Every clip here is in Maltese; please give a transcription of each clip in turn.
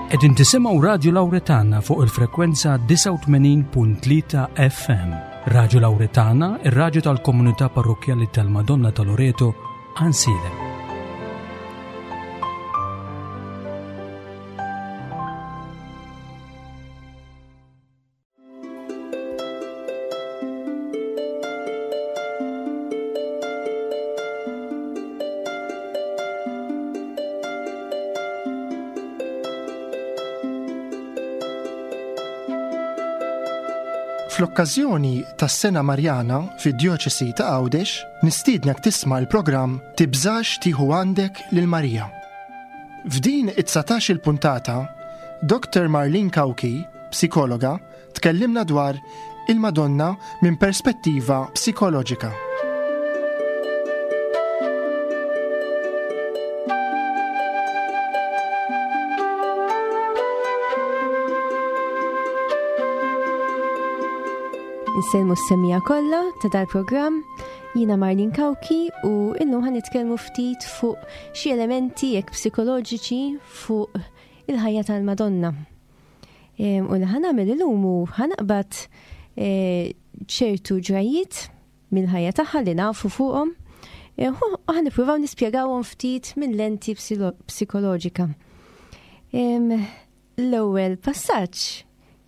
Qegħdin tisimgħu Radju Lawretana fuq il-frekwenza 89.3 FM. Radju Lawretana, ir-radju tal-komunità parrokkjali tal-Madonna ta' Loreto, Ansilem. Fl-okkażjoni tas-Sena Marjana fid-Djoċesi ta' Għawdex, nistiednek tisma' l-programm Tibżax tieħu għandek lil Marija. F'din it-19-il puntata, Dr. Marlene Cauchi, psikologa, tkellimna dwar il-Madonna minn perspettiva psikoloġika. Insellmu s-semija kollha ta' dal-programm, jiena Marlin Kawki u illum ħan nitkellmu ftit fuq xi elementi jekk psikoloġiċi fuq il-ħajja tal-Madonna. U li ħanamel illum hu ħanaqbad e, ċertu ġrajiet mill-ħajja tagħha li nafu fuqhom e, u ħanippruvaw nispjegawhom ftit minn lenti psikoloġika. L-ewwel passaġġ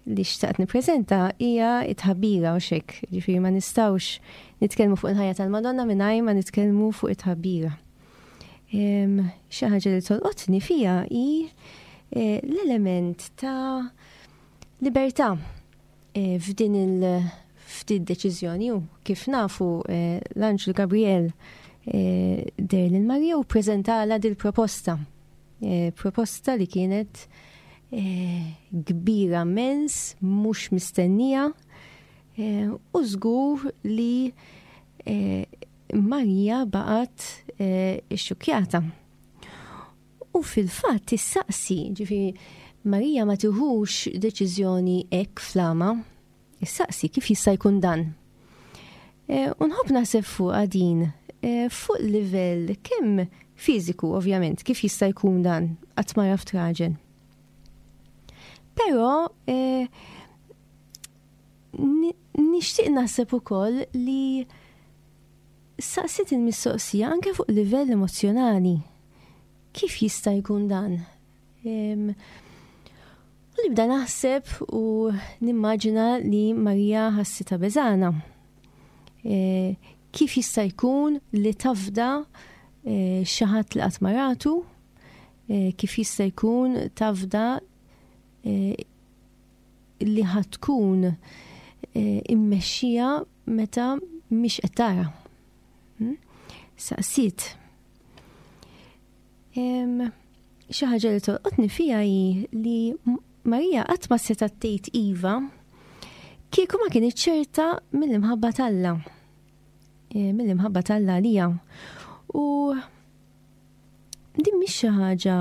li xtaqt nippreżenta hija it-tħabbira u xek, ġifieri ma nistgħux nitkellmu fuq il-ħajja tal-Madonna mingħajr ma nitkellmu fuq it-tħabbira. Xi ħaġa li tolqotni fija hi eh, l-element ta' libertà eh, f'din il f'din deċiżjoni u kif nafu eh, l-Anġlu Gabriel der lil Marija u preżentala dil proposta. Proposta li kienet kbira mens, mhux mistennija u żgur li Marija baqgħet eh, ixxukkjata. U fil-fatt issaqsi, ġifieri Marija ma tiħux deċiżjoni hekk flama, issaqsi kif jista' jkun dan. Eh, u nħobb naħseb fuq din, eh, fuq livell kemm fiżiku ovvjament, kif jista' jkun dan qatt ma raft raġel. Però Nixtieq naħseb ukoll li saqsiet il-mistoqsija anke fuq livell emozzjonali. Kif jista' jkun dan? U nibda naħseb u nimmaġina li Marija ħassitha beżana. E, kif jista' jkun li tafda e, xi ħadd li qatt maratu? E, kif jista' jkun tafda li ħa tkun eh, immexxija meta mhix qed tara. Hmm? Saqsiet. Xi ħaġa li tolqotni fija hi li Marija qatt ma setgħet tgħid iva kieku ma kienet ċerta mill-imħabba t'Alla. Eh, mill-imħabba t'Alla għalija. U Din mhix xi ħaġa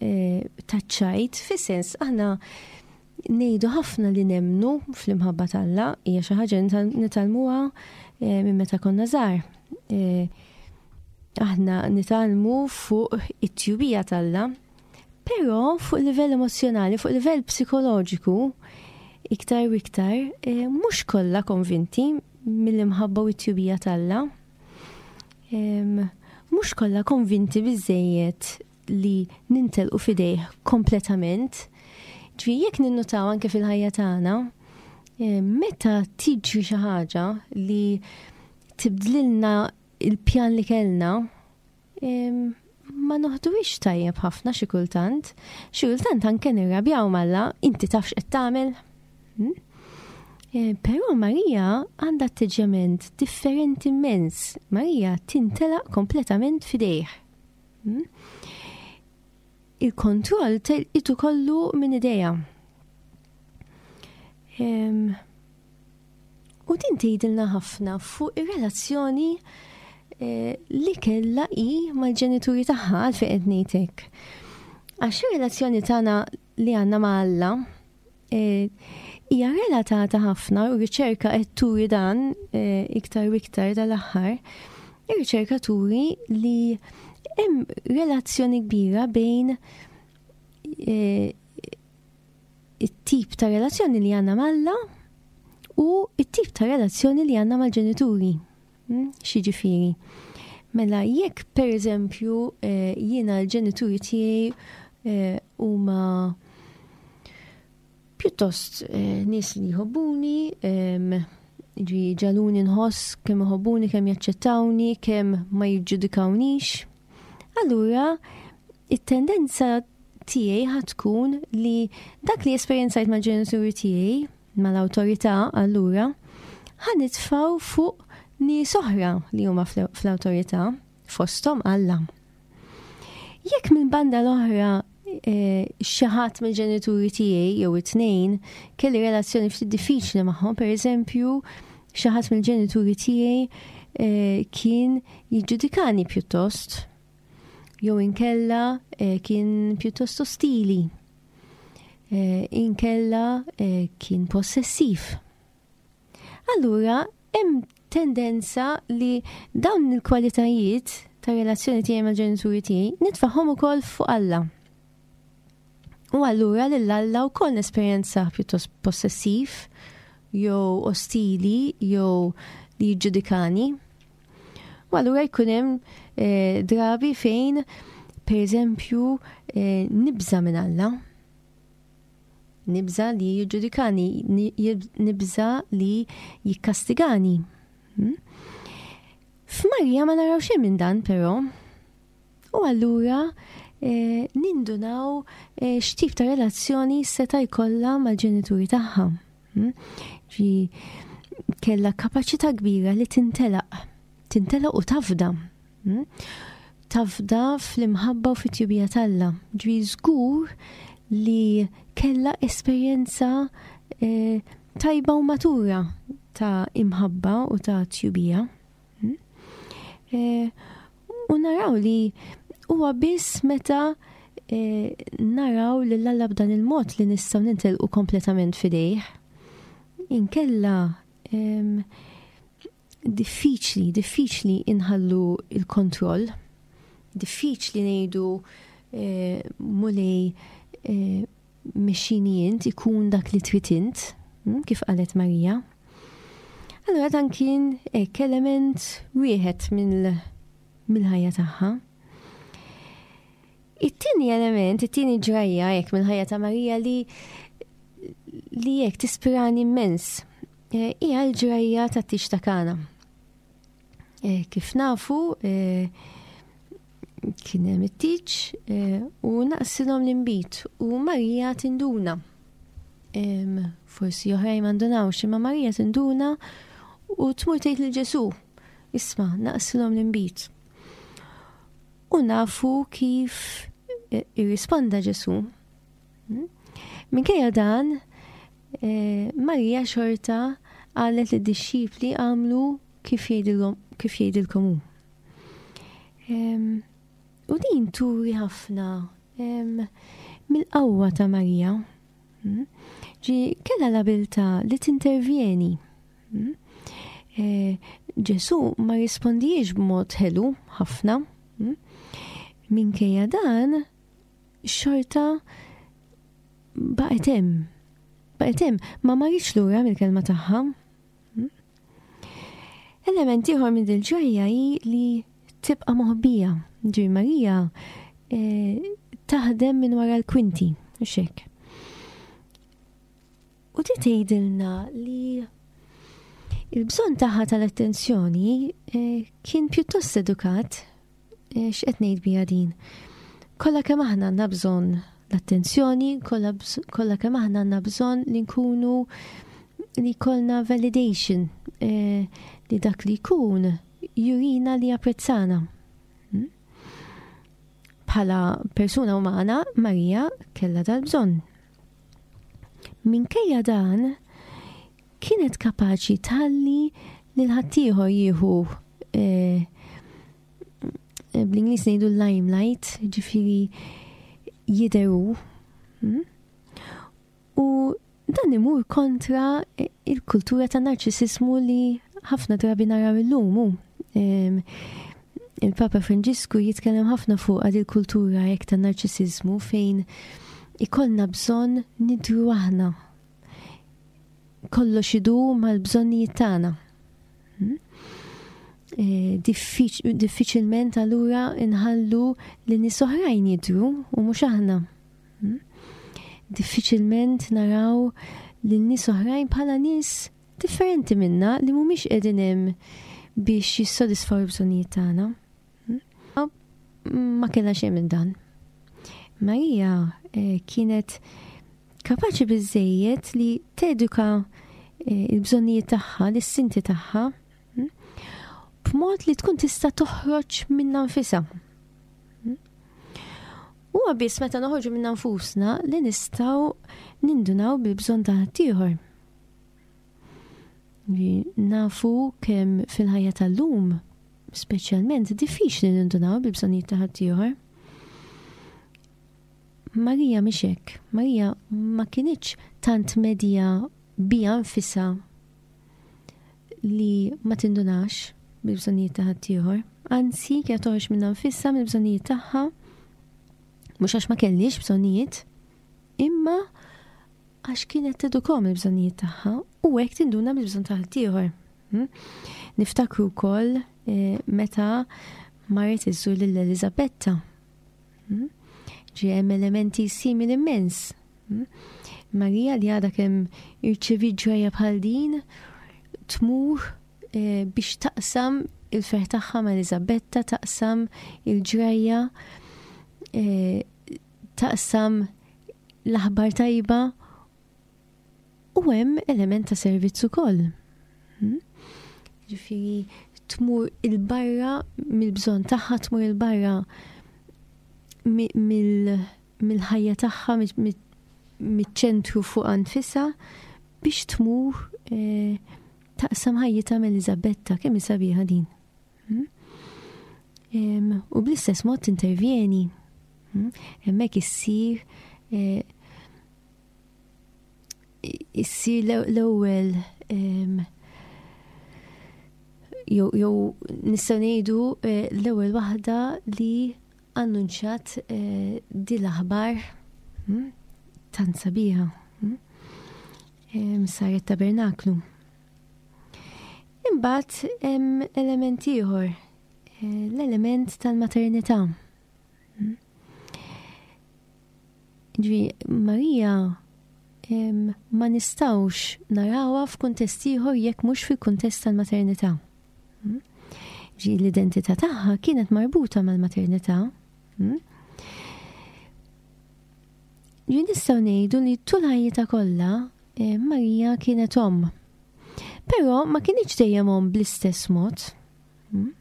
eh, taċ-ċajt, fis-sens aħna ngħidu ħafna li nemnu fl-imħabba t'Alla, hija xi ħaġa nitgħallmuha eh, minn meta konna żgħar. Eh, aħna nitgħallmu fuq it-tjubija t'Alla, però fuq livell emozjonali, fuq livell psikoloġiku, iktar u iktar, mhux kollha konvinti mill-imħabba u t-tjubija t'Alla. Mhux kollha konvinti biżejjed li nintelqu f'idejh kompletament. Ġifieri jekk ninnutaw anke fil-ħajja tagħna, meta tiġri xi ħaġa li tibdlilna il-pjan li kellna, ma noħduhiex tajjeb ħafna xi kultant. Xi kultant anke nirrabjaw malla, inti taf x'qed tagħmel. Hmm? Eh, però Marija għandha atteġġjament differenti immens. Marija tintelaq kompletament fidejh. Hmm? Il-kontroll telqitu kollu minn idejha. U din tgħidilna ħafna fuq ir-relazzjoni eh, li kellha hi mal-ġenituri tagħha għalfejn qed ngħid hekk. Għax ir-relazzjoni tagħna li għandna ma' Alla eh, hija relatata ħafna u riċerka qed turi dan eh, iktar u iktar dal-aħħar. Ir-riċerka turi li hemm relazzjoni kbira bejn eh, it-tip ta' relazzjoni li għandna m'Alla u it-tip ta' relazzjoni li għandna mal-ġenituri. Hmm? X'jiġifieri? Mela jekk pereżempju eh, jiena l-ġenituri tiegħi eh, huma pjuttost eh, nies li jħobbuni, ġi ġaluni nħoss kemm iħobbuni, kemm jaċċettawni, kemm ma jiġġudikawnix. Allura, it-tendenza tiegħi ħa tkun li dak li esperjenzajt mal-ġenituri tiegħi, mal-awtorità allura, ħa nitfgħu fuq nies oħra li huma fl-awtorità, fosthom Alla. Jekk minn banda l-oħra eh, xi ħadd mill-ġenituri tiegħi jew it-tnejn kelli relazzjoni ftit diffiċli magħhom, pereżempju, xi ħadd mill-ġenituri tiegħi eh, kien jiġġudikani pjuttost, jew inkella eh, kien pjuttost ostili, inkella kien possessiv. Allura, hemm tendenza li dawn il-kwalitajiet ta' relazzjoni tiegħi mal-ġenituri tiegħi nitfagħhom ukoll fuq Alla. U allura lil Alla wkoll nesperjenza pjuttost possessiv jew ostili jew li jiġġudikani. U allura jkun hemm eh, drabi fejn pereżempju eh, nibża' minn Alla. Nibża' li jiġġudikani, nibża' li jikkastigani. Hmm? F'Marija ma naraw xejn minn dan però. U allura eh, nindunaw eh, x'tip ta' relazzjoni seta' jkollha mal-ġenituri tagħha. Hmm? Ġi kellha kapaċità kbira li tintelaq, tintelaq u tafda. Hmm? Tafda fl-imħabba u fit-tjubija t'Alla. Ġwi żgur li kella esperjenza eh, tajba u matura ta' imħabba u ta' tjubija. Hmm? Eh, u naraw li huwa biss meta eh, naraw li l-Alla b'dan il-mod li nistgħu nintelqu kompletament fidejh. Inkella Diffiċli, diffiċli inħallu il-kontroll, diffiċli ngħidu eh, mulej eh, mexxini int ikun dak li trid int, hm, kif qalet Marija. Allura dan kien hekk element wieħed mill-ħajja tagħha. It-tieni element, it-tieni ġrajja hekk mill-ħajja ta' Marija li li hekk tispirani immens eh, hija l-ġrajja ta' tix ta' Kana. Eh, kif nafu, eh, kien hemm it-tiġ u naqsilhom l-inbid u Marija tinduna. Forsi oħrajn ma ndunawx, imma Marija tinduna u tmur tgħid lil Ġesù, isma' naqsilhom l-inbid. U nafu kif eh, irrisponda Ġesù. Hmm? Minkejja dan, eh, Marija xorta qalet li d-dixxipli għamlu kif jgħidilkom hu. U din turi ħafna mill-qawwa ta' Marija. Hmm? Ġi kella l-abilta li tintervjeni Hmm? Eh, Ġesu ma rispondijiex b'mod ħelu ħafna. Hmm? Minkejja dan, xorta baqgħet hemm. Baqgħet hemm, ma marritx lura mill-kelma tagħha. Hmm? Element ieħor minn dil-ġrajja hi li tibqa' moħbija. Ġi Marija eh, taħdem minn wara l-kwinti, u xek. U di tgħidilna li il-bżonn tagħha tal-attenzjoni eh, kien pjuttost edukat eh, x'qed ngħid biha din. Kollha kemm aħna għandna bżonn l-attenzjoni, kollha kemm aħna għandna bżonn li nkunu li jkollna validation eh, li dak li jkun jurina li japprezzana. Hmm? Bħala persuna umana, Marija kellha dal-bżonn. Minkejja dan, kienet kapaċi tħalli lil ħaddieħor jieħu eh, bl-Ingliż ngħidu limelight, ġifieri jidheru. Hmm? U dan imur kontra il-kultura ta' narċisismu li ħafna drabi naraw illum. Il-Papa Franġisku jitkellem ħafna fuq għad il-kultura hekk ta' narċisizmu fejn Ikollna bżonn nidru aħna. Kollox idur mal-bżonnijiet tagħna. Hmm? Eh, diffiċilment allura nħallu li nies oħrajn jidru u mhux aħna. Hmm? Diffiċilment naraw lil nies oħrajn bħala nies differenti minna li mhumiex qegħdin hemm biex jissodisfaw il-bżonnijiet tagħna. Ma kellha xejn minn dan. Marija eh, kienet kapaċi biżejjed li teduka eh, il-bżonnijiet tagħha, l-istinti tagħha, hm, b'mod li tkun tista' toħroġ minna nfisha. Hm. Huwa biss meta noħorġu minna nfusna li nistgħu nindunaw bil-bżonn ta' ħaddieħor. Nafu kemm fil-ħajja tal-lum, speċjalment diffiċli nindunaw bil-bżonnijiet ta' ħaddieħor. Marija mhix hekk. Marija ma kinitx tant medja bija nfisha li ma tindunax bil-bżonnijiet ta' ħaddieħor. Anzi, kienet toħroġ minnha nfisha mill-bżonnijiet tagħha, mhux għax ma kellix bżonnijiet, imma għax kienet tedukom il-bżonnijiet tagħha u hekk tinduna bil-bżonn ta' ħaddieħor. Hmm? Niftakru wkoll eh, meta marret iżżur lil Eliżabetta. Hmm? Ġi hemm elementi simili immens. Hmm? Marija li għadha kemm irċevi ġrajja bħal din tmur eh, biex taqsam il-ferħ tagħha ma' Eliżabetta, taqsam il-ġrajja eh, taqsam l-aħbar tajba u hemm element ta' servizz ukoll. Hmm? Ġifieri tmur il-barra mill-bżonn tagħha, tmur il-barra mill-ħajja tagħha, miċ-ċentru fuq nfisha biex tmur eh, taqsam ħajjitha ma' Eliżabetta, kemm hi sabiħa din. Hmm? U bl-istess mod tintervjeni. Hmm? Hemmhekk issir eh, issir l-ewwel jew nistgħu ngħidu eh, l-ewwel waħda li annunċjat eh, di l-aħbar hmm, tant sabiħa. Saret tabernaklu. Imbagħad hemm element ieħor, eh, l-element tal-maternità. Hmm? Ġvi, Marija ma nistawx narawha f'kuntest ieħor jekk mhux fil-kuntest tal-maternità. Hmm? Ġi l-identità tagħha kienet marbuta mal-maternità. Hmm? Ġi nistgħu ngħidu li tul ħajjitha kollha eh, Marija kienet omm. Però ma kinitx dejjem omm bl-istess mod. Hmm?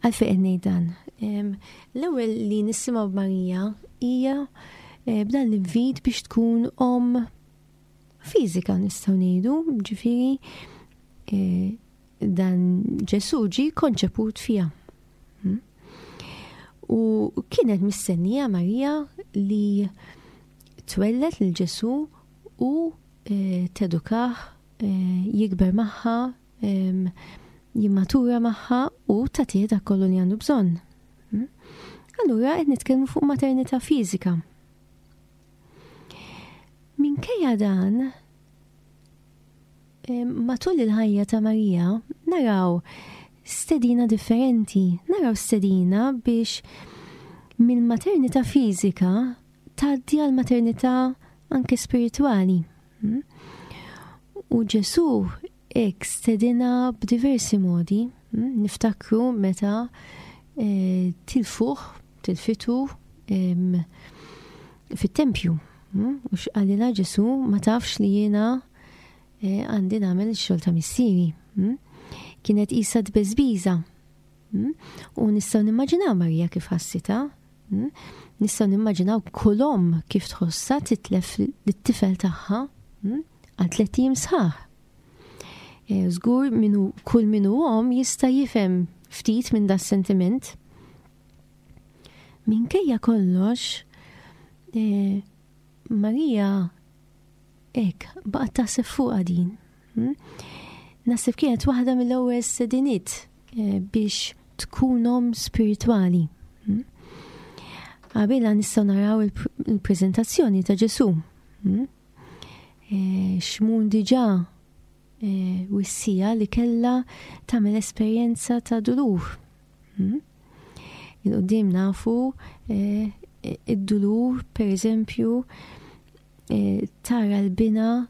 Għalfejn qed ngħid dan. L-ewwel li nisimgħu b'Marija hija eh, b'dan l-invit biex tkun omm fiżika nistgħu ngħidu, ġifieri eh, dan Ġesù ġie konċeput fiha. Hmm? U kienet mistennija Marija li twellet lil Ġesù u eh, tedukah, eh, jikber magħha, jimmatura magħha u tagħtih dak kollu li għandu bżonn. Hmm? Allura qed nitkellmu fuq maternità fiżika. Minkejja dan, matul il-ħajja ta' Marija naraw stedina differenti, naraw stedina biex mill-maternità fiżika tgħaddi għal maternità anke spiritwali. Hmm? U Ġesù hekk stedina b'diversi modi. Hmm? Niftakru meta eh, tilfuh, tilfitu fit-tempju. Hmm? U x'qalilha Ġesù ma tafx li jiena eh, għandi nagħmel ix-xogħol ta' missieri. Kienet qisha tbeżbiża. U nistgħu nimmaġinaw Marija kif ħassitha. Hmm? Nistgħu nimmaġinaw kull omm kif tħossha titlef lit-tifel tagħha hmm? għal tlett ijiem sħaħ. E, żgur minu kull minu omm jista' jifhem ftit minn da sentiment. Minkejja kollox, e, Marija hekk baqgħet taħseb fuqha din. Hmm? Naħseb kienet waħda mill-ewwel sediniet eh, biex tkun omm spiritwali. Hmm? Qabilha nistgħu naraw il-preżentazzjoni ta' Ġesù. Hmm? E, Xmun diġà e, wissija li kellha tagħmel esperjenza ta' dulur. Hmm? Il-qudiem nafu e, id-dulur, per eżempju, tara l-bina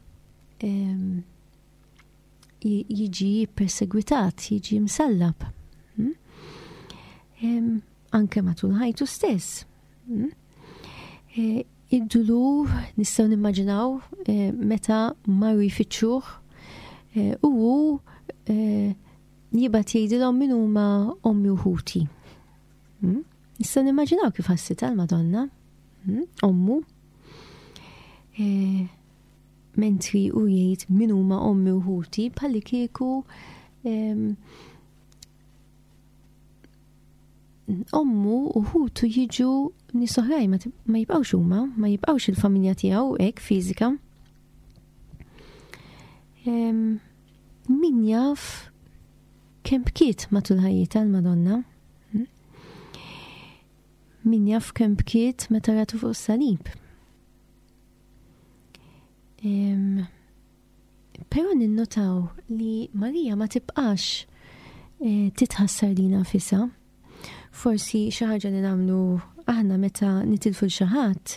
jiġi persegwitat, jiġi msallab. Hmm? Anke matul ħajtu stess. Hmm? E, id-dulur nistgħu nimmaġinaw e, meta marru jfittxuh e, u hu jibgħat jgħidilhom min huma ommi u ħuti. Hmm? Nistgħu nimmaġinaw kif ħassitha l-Madonna, ommu. Mentri u jgħid min huma ommi u ħuti bħalli kieku ommu u ħutu jiġu nies oħrajn ma jibqgħux huma, ma jibqgħux il-familja tiegħu hekk fiżika. Min jaf kemm bkiet matul ħajjitha l-Madonna? Hm? Min jaf kemm bkiet meta ratu fuq is-salib? Però ninnotaw li Marija ma tibqax eh, titħassar lina nfisha. Forsi xi ħaġa li nagħmlu aħna meta nitilfu l xi ħadd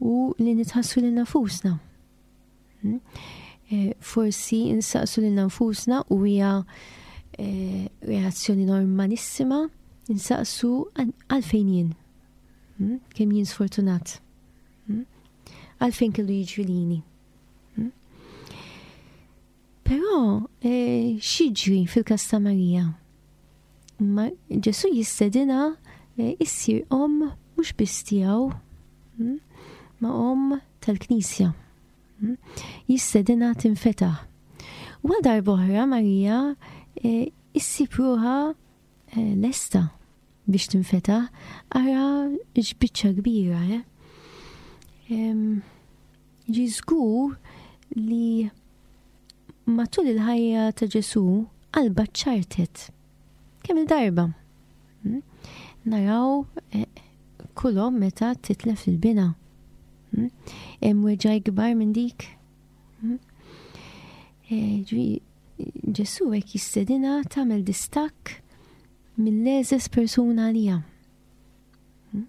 u li nitħassu lil nafusna. Hmm? Eh, forsi insaqsu lil nfusna u hija eh, reazzjoni normalissima insaqsu għalfejn jien. Hmm? Kemm jien sfortunat. Hmm? Għalfejn kellu jiġri lili. Hmm? Però eh, x'jiġri fil-każ ta' Marija? Ma Ġesu jistedina eh, issir om mhux biss tiegħu, hmm? ma om tal-Knisja. Hmm? Jistedina tinfetaħ. U għal darb'oħra Marija eh, issib ruħha lesta biex tinfetaħ, ara x'biċċa kbira, eh? Ġi żgur li matul il-ħajja ta' Ġesu qalba ċartet. Kemm il-darba? Hmm? Naraw eh, kulhom meta titlef il-bina. Hmm? Hemm weġgħa ikbar minn dik. Hmm? Eh, Ġesu hekk jistedina tagħmel distakk mill-eżes persuna għalija. Hmm?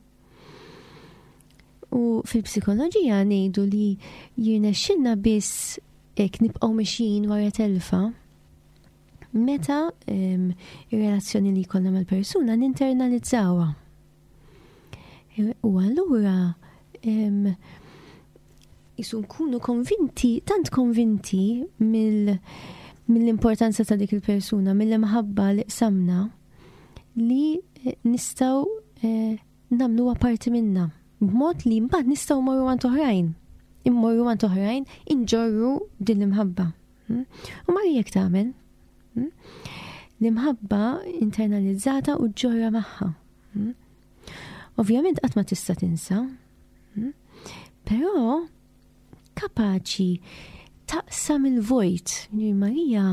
U fil-psikoloġija ngħidu li jirnexxilna biss hekk nibqgħu mexjin wara telfa meta ehm, ir-relazzjoni li jkollna mal-persuna ninternalizzawha. U allura ehm, jisu nkunu konvinti, tant konvinti mill mill-importanza ta' dik il-persuna, mill-imħabba li qsamna, li eh, nistgħu eh, nagħmluha parti minna. B'mod li mbagħad nistgħu morru għand oħrajn. Immorru għand oħrajn inġorru din l-imħabba. Hmm? U Marija jekk tagħmel. Hmm? L-imħabba internalizzata u ġorra magħha. Hmm? Ovvjament qatt ma tista' tinsa, hmm? però kapaċi taqsam il-vojt. Marija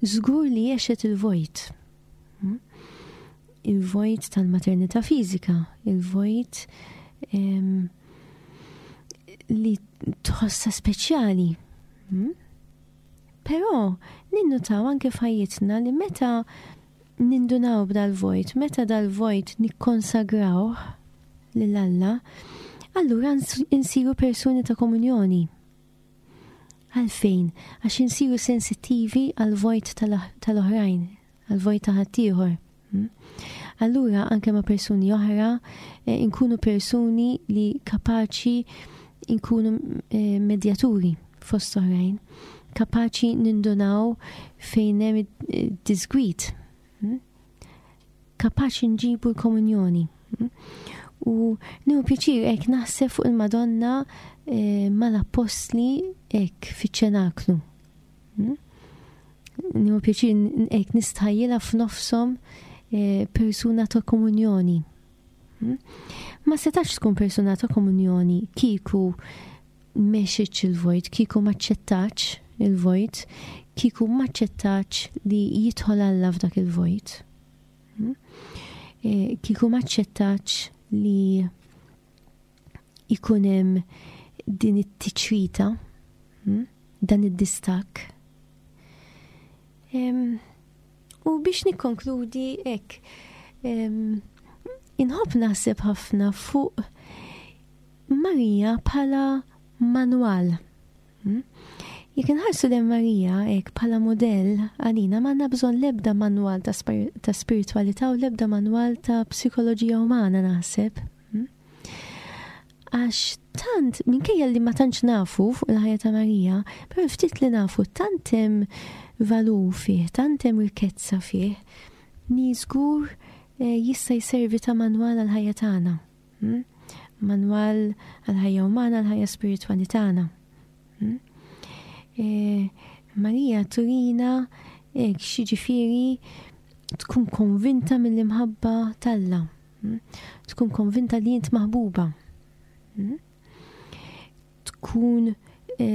żgur li għexet il-vojt. Hmm? Il-vojt tal-maternità fiżika, il-vojt li tħossa speċjali. Hmm? Però ninnutaw anke f'ħajjitna li meta nindunaw b'dal-vojt, meta dal-vojt nikkonsagrawh lil Alla, allura insiru persuni ta' komunjoni. Għalfejn? Għax insiru sensittivi għal-vojt tal-oħrajn, għal-vojt ta' ħaddieħor. Hmm? Allura anke ma' persuni oħra eh, inkunu persuni li kapaċi inkunu eh, medjaturi fost oħrajn, kapaċi nindunaw fejn hemm disgwit. Hmm? Kapaċi nġibu l-komunjoni. Hmm? U nieħu pjaċir hekk naħseb fuq il-Madonna eh, mal-appostli hekk fiċ-ċenaklu. Hmm? Nieħu pjaċir hekk nistħajjilha f'nofshom eh, persuna ta' komunjoni. Hmm? Ma setax tkun persuna ta' komunjoni kieku mexitx il-vojt, kieku maċċettax il-vojt, kieku maċċettax li jidħol Alla f'dak il-vojt. Hmm? Eh, kieku maċċettax li ikun hemm din it-tiċrita, dan id-distakk. U biex nikkonkludi hekk, inħobb naħseb ħafna fuq Marija bħala manwal. Hmm? Jekk inħarsu lejn Marija hekk bħala mudell għalina m'għandna bżonn l-ebda manwal ta' spiritwalità u l-ebda manwal ta' psikoloġija umana naħseb. Hmm? Għax tant, minkejja li ma tantx nafu fuq il-ħajja ta' Marija, però ftit li nafu tant hemm valur fih, tant hemm rikkezza fih, ni żgur eh, jista' jservi ta' manwal għal-ħajja tagħna. Hmm? Manwal għal-ħajja umana, għal-ħajja spiritwali tagħna. Hmm? E, Marija turina e, xiġifieri tkun konvinta mill-imħabba t'Alla. Hmm? Tkun konvinta li int maħbuba. Hmm? Tkun e,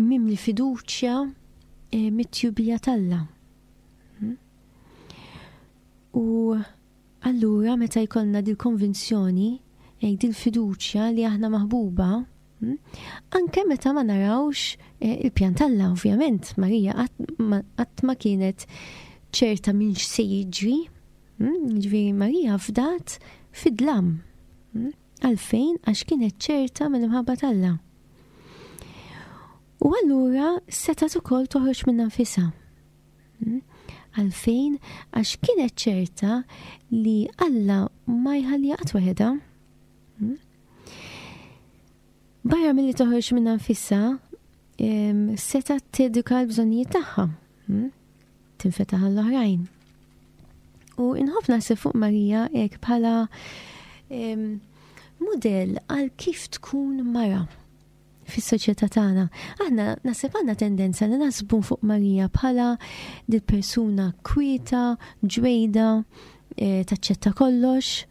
mimli fiduċja e, mit-tjubija t'Alla. Hmm? U Allura meta jkollna dil-konvinzjoni, dil-fiduċja li aħna maħbuba, hmm, anke meta ma narawx eh, il-pjan t'Alla, ovvjament, Marija qatt ma kienet ċerta minn x'se jiġri, hmm, ġifieri Marija fdat fid-dlam. Hmm, għalfejn għax kienet ċerta mill-imħabba t'Alla. U allura setgħet ukoll toħroġ minn nfisha. Hmm? Għalfejn? Għax kienet ċerta li Alla ma jħalli qatt waħedha. Hmm? Barra milli toħroġ minn nfisha, seta teduka l-bżonnijiet tagħha. Hmm? Tinfetaħ għall-oħrajn. U inħobb naħseb fuq Marija hekk bħala mudell għal kif tkun mara. fis-soċjetà tagħna. Aħna naħseb għandna tendenza li naħsbu fuq Marija bħala dil persuna kwieta, ġwejda, eh, taċċetta kollox,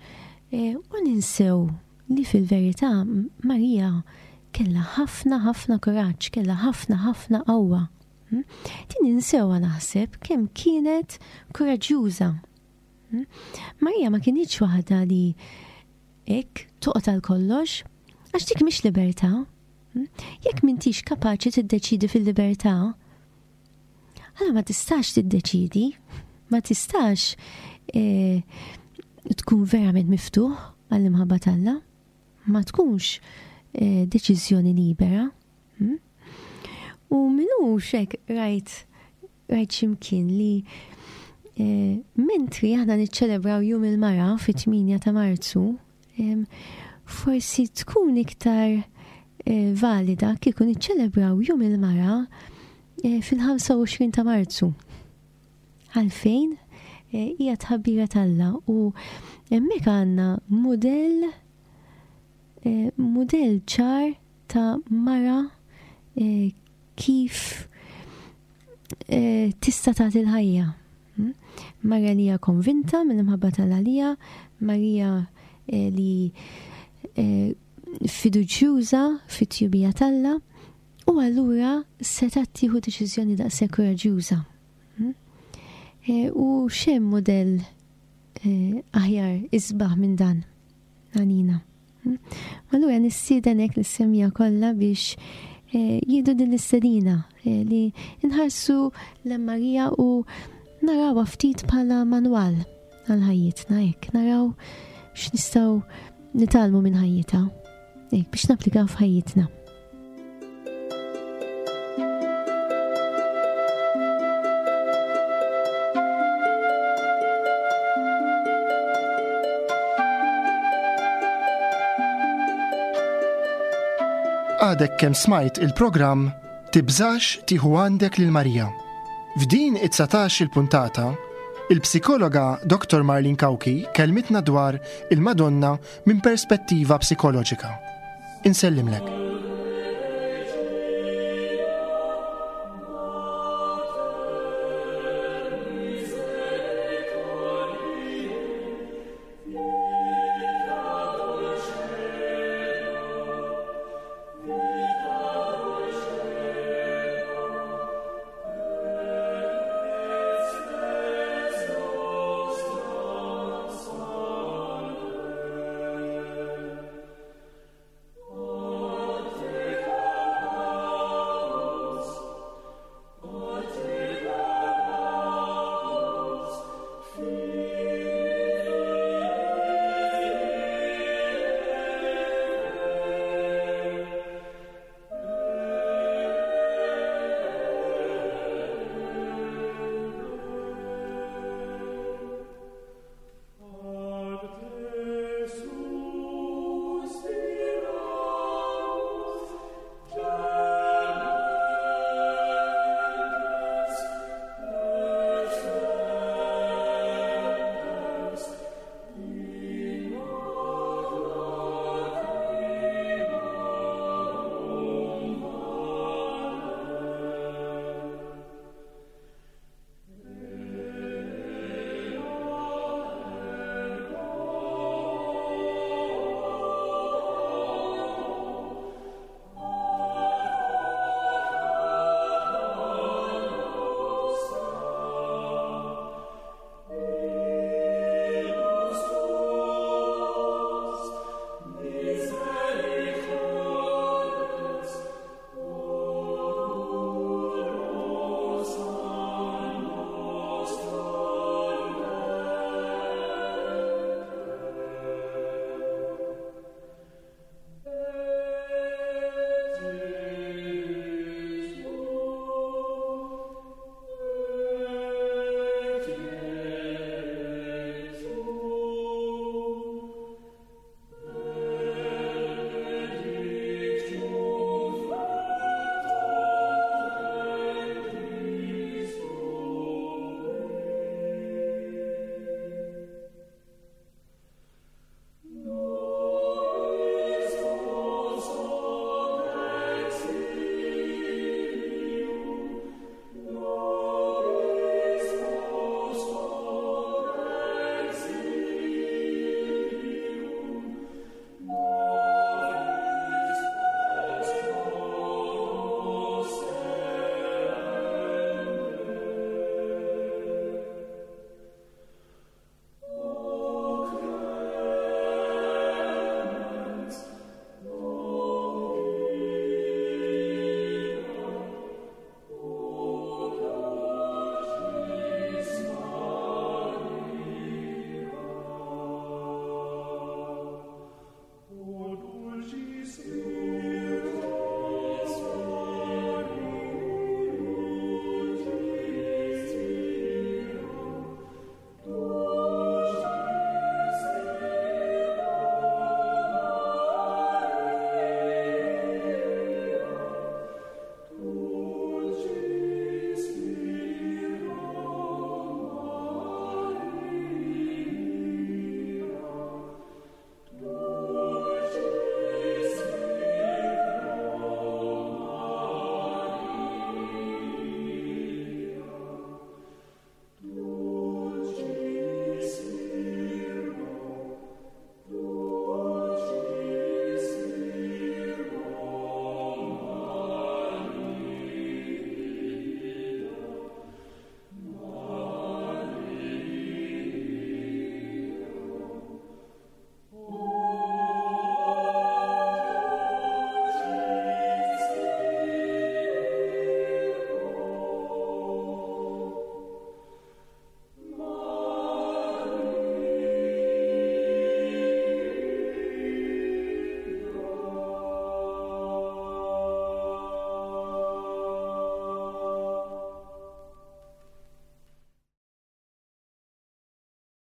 eh, u ninsew li fil-verità Marija kellha ħafna ħafna kuraġġ, kellha ħafna ħafna qawwa. Hm? Din ninsewha naħseb kemm kienet kuraġġjuża. Hm? Marija ma kinitx waħda li Hekk toqgħod għal kollox, għax dik mhix libertà. Hm? Jekk m'intix kapaċi tiddeċidi fil-libertà, allora ma tistax tiddeċidi, ma tistax eh, tkun verament miftuħ għall-imħabba t'Alla, ma tkunx eh, deċiżjoni libera. Hm? U minux hekk rajt Rajt x'imkien li eh, mentri aħna niċċelebraw Jum il-Mara fit-8 ta' Marzu, forsi tkun iktar eh, valida kieku niċċelebraw Jum il-Mara eh, fil-25 ta' Marzu. Għalfejn hija tħabbira t'Alla u hemmhekk għandna mudell mudell ċar ta' mara kif eh, tista' tagħti l-ħajja. Hmm? Marija li hija konvinta mill-imħabba tal-għalija, Marija eh, li eh, fiduċjuża fit-tjubija t'Alla u allura setgħet tieħu deċiżjoni daqshekk kuraġġjuża. Hmm? U x'hemm mudell aħjar isbaħ minn dan għalina. Allura nistieden hekk lis-semija kollha biex eh, jieħdu din l-istedina eh, li nħarsu l Marija u narawha ftit bħala manwal għal ħajjitna hekk naraw x'nistgħu nitgħallmu minn ħajjitha hekk biex napplikaw f'ħajjitna. Għadek kemm smajt il-programm Tibżax tieħu għandek lil Marija. F'din it-19 il-puntata, il-psikologa Dr. Marlene Cauchi kelmitna dwar il-Madonna minn perspettiva psikoloġika. Insellimlek. Ġesù.